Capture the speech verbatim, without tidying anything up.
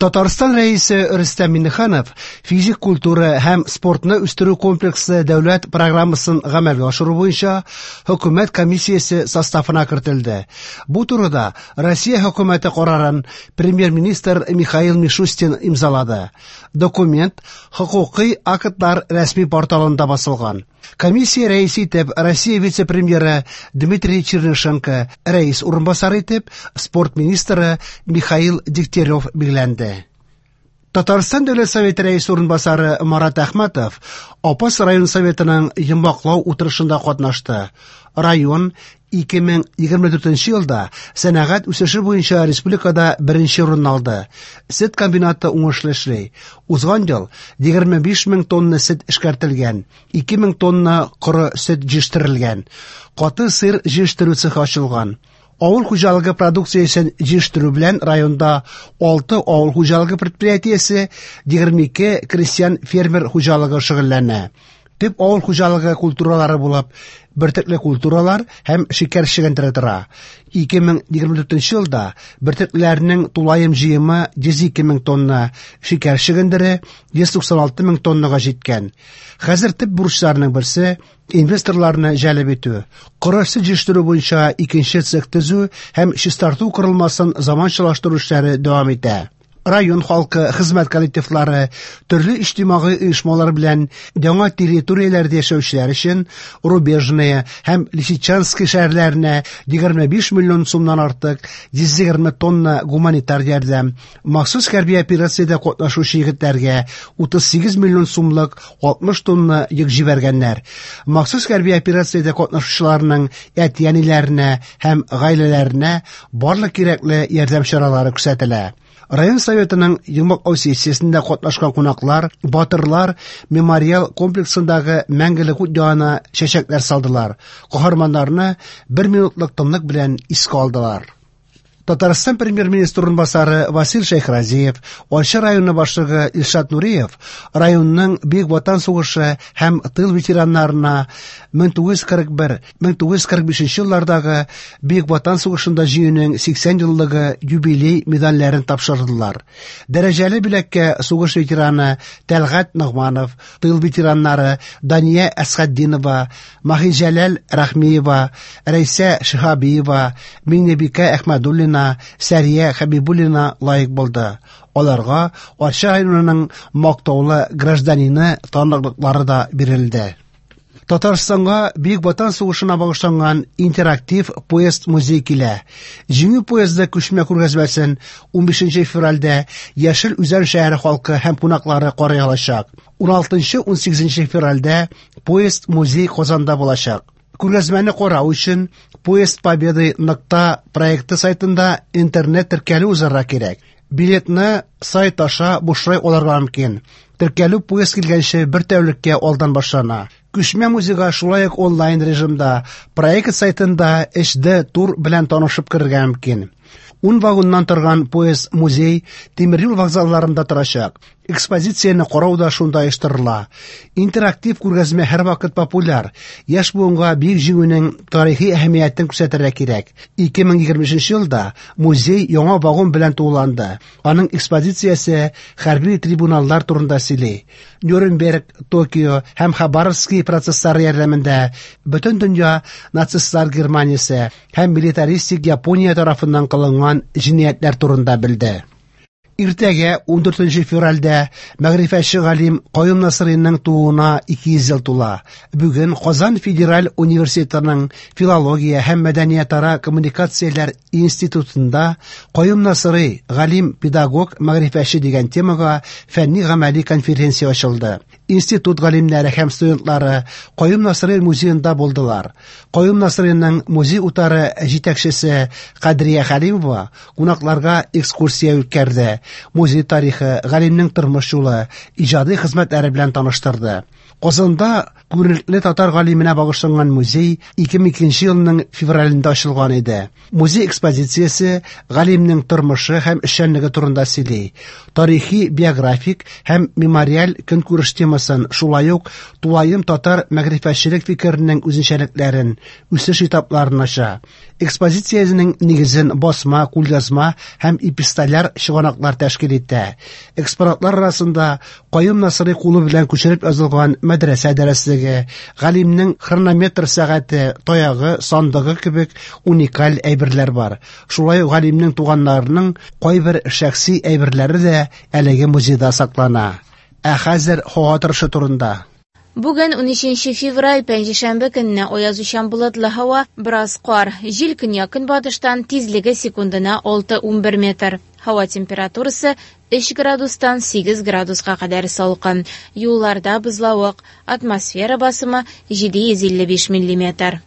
Татарстан Рәисе Рөстәм Миңнеханов физик культура һәм спортны үстерү комплексы дәүләт программасын гамәлгә ашыру буенча хөкүмәт комиссиясе составына кертелде. Бу турыда Россия хөкүмәте карарын премьер-министр Михаил Мишустин имзалады. Документ хокукый актлар рәсми порталында басылган. Комиссия рәисе итеп Россия вице-премьеры Дмитрий Чернышенко, рәис урынбасары итеп спорт министры Михаил Дегтярев билгеләнде. Татарстан Дәүләт Советы рәисе урынбасары Марат Әхмәтов Апас район советының йомгаклау утырышында катнашты. Район ике мең егерме дүртенче елда сәнәгать үсеше буенча республикада беренче урын алды. Сөт комбинаты уңышлы эшли. Узган ел егерме биш мең тонна сөт эшкәртелгән, ике мең тонна коры сөт җитештерелгән. Каты сыр җитештерү цехы ачылган. Авыл хуҗалыгы продукциясен җитештерү белән районда алты авыл хуҗалыгы предприятиесе, егерме ике крестьян фермер хуҗалыгы шөгыльләнә. Төп авыл хуҗалыгы культуралары булып бөртекле культуралар һәм шикәр чөгендере тора. Ике мең егерме дүртенче елда бөртекләрнең тулаем җыемы йөз ике мең тонна, шикәр чөгендере йөз туксан алты мең тоннага җиткән. Хәзер төп бурычларның берсе инвесторларны җәлеп итү, коры сөт җитештерү буенча икенче цех төзү һәм чистарту корылмасын заманчалаштыру эшләре дәвам итә. Район халкы, хезмәт коллективлары, төрле иҗтимагый оешмалар белән яңа территорияләрдә яшәүчеләр өчен Рубежная һәм Лисичанский шәһәрләренә егерме биш миллион сумнан артык йөз егерме тонна гуманитар ярдәм, махсус хәрби операциядә катнашучы егетләргә утыз сигез миллион сумлык алтмыш тонна йөк җибәргәннәр. Махсус хәрби операциядә катнашучыларның әти-әниләренә һәм гаиләләренә барлык кирәкле ярдәм чаралары күрсәтелә. Район советының йомгаклау сессиясендә катнашкан кунаклар Батырлар мемориал комплексындагы мәңгелек ут янына чәчәкләр салдылар. Каһарманнарны бер минутлык тынлык белән искә алдылар. Татарстан премьер-министры урынбасары Васил Шәйхразиев, Арча районы башлыгы Илшат Нуриев районның Бөек Ватан сугышы һәм тыл ветераннарына мең тугыз йөз кырык бер, мең тугыз йөз кырык бишенче еллардагы Бөек Ватан сугышында җиңүнең сиксән еллыгы юбилей медальләрен тапшырдылар. Дәрәҗәле бүләккә сугыш ветераны Тәлгать Ногманов, тыл ветераннары Дания Әсхәтдинова, Маһиҗәләл Рәхмиева, Рәйсә Шиһабиева, Миңнебикә Әхмәдуллина, Сәрия Хәбибуллина лаек булды. Аларга Арча районының мактаулы гражданины таныклыклары да бирелде. Татарстанга Бөек Ватан сугышына багышланган интерактив поезд музей килә. Җиңү поезды күчмә күргәзмәсен унбишенче февральдә Яшел Үзән шәһәре халкы һәм кунаклары карый алачак. Уналтынчы, унсигезенче февральдә поезд музей Казанда булачак. Күргәзмәне карау өчен Поезд Победы нокта проекты сайтында интернет теркәлү узарга кирәк. Билетны сайт аша бушлай алырга мөмкин. Теркәлү поезд килгәнче бер тәүлеккә алдан башлана. Күчмә музейга шулай ук онлайн режимда проект сайтында эйч ди тур белән танышып керергә мөмкин. Ун вагоннан торган поезд музей тимер юл вокзалларында торачак. Экспозицияне карау да шунда оештырыла. Интерактив күргәзмә һәрвакыт популяр. Яшь буынга Бөек Җиңүнең тарихи әһәмиятен күрсәтергә кирәк. Ике мең егерме өченче елда музей яңа вагон белән тулыланды. Аның экспозициясе хәрби трибуналлар турында сөйли. Нюрнберг, Токио һәм Хабаровский процесслары ярдәмендә бөтен дөнья нацистлар Германиясе һәм милитаристик Япония тарафыннан кылынган җинаятьләр турында белде. Иртәгә ундүртенче февральдә мәгърифәтче галим Каюм Насыйриның тууына ике йөз ел тула. Бүген Казан федераль университетының филология һәм мәдәниятара коммуникацияләр институтында Каюм Насыйри галим, педагог, мәгърифәтче дигән темага фәнни гамәли конференция ачылды. Институт галимнәре һәм студентлары Каюм Насыйри музеенда булдылар. Каюм Насыйриның музей утары җитәкчесе Кадрия Хәлимова кунакларга экскурсия үткәрде. Музей тарихы, галимнең тормыш юлы, иҗади хезмәтләре белән таныштырды. Казанда күренекле татар галименә багышланган музей ике мең икенче елның февралендә ачылган иде. Музей экспозициясе галимнең тормышы һәм эшчәнлеге турында сөйли. Тарихи, биографик һәм мемориаль көнкүреш темасын, шулай ук тулаем татар мәгърифәтчелек фикеренең үзенчәлекләрен, үсеш этапларын ача. Экспозициясенең нигезен басма, кулъязма һәм эпистоляр чыганаклар тәшкил итә. Экспонатлар арасында Каюм Насыйри кулы белән күчереп язылган мәдрәсә дәреслеге, галимнең хронометр сәгате, таягы, сандыгы кебек уникаль әйберләр бар. Шулай ук галимнең туганнарының кайбер шәхси әйберләре дә әлеге музейда саклана. Ә хәзер һава торышы турында. Бүген унөченче февраль, пәнҗешәмбе көнне аязучан болытлы һава, бераз кар, җил көньяк-көнбатыштан, тизлеге секундына алты унбер метр. Һава температурасы өч градустан сигез градуска кадәр салкын. Юлларда бозлавык, атмосфера басымы җиде йөз илле биш миллиметр.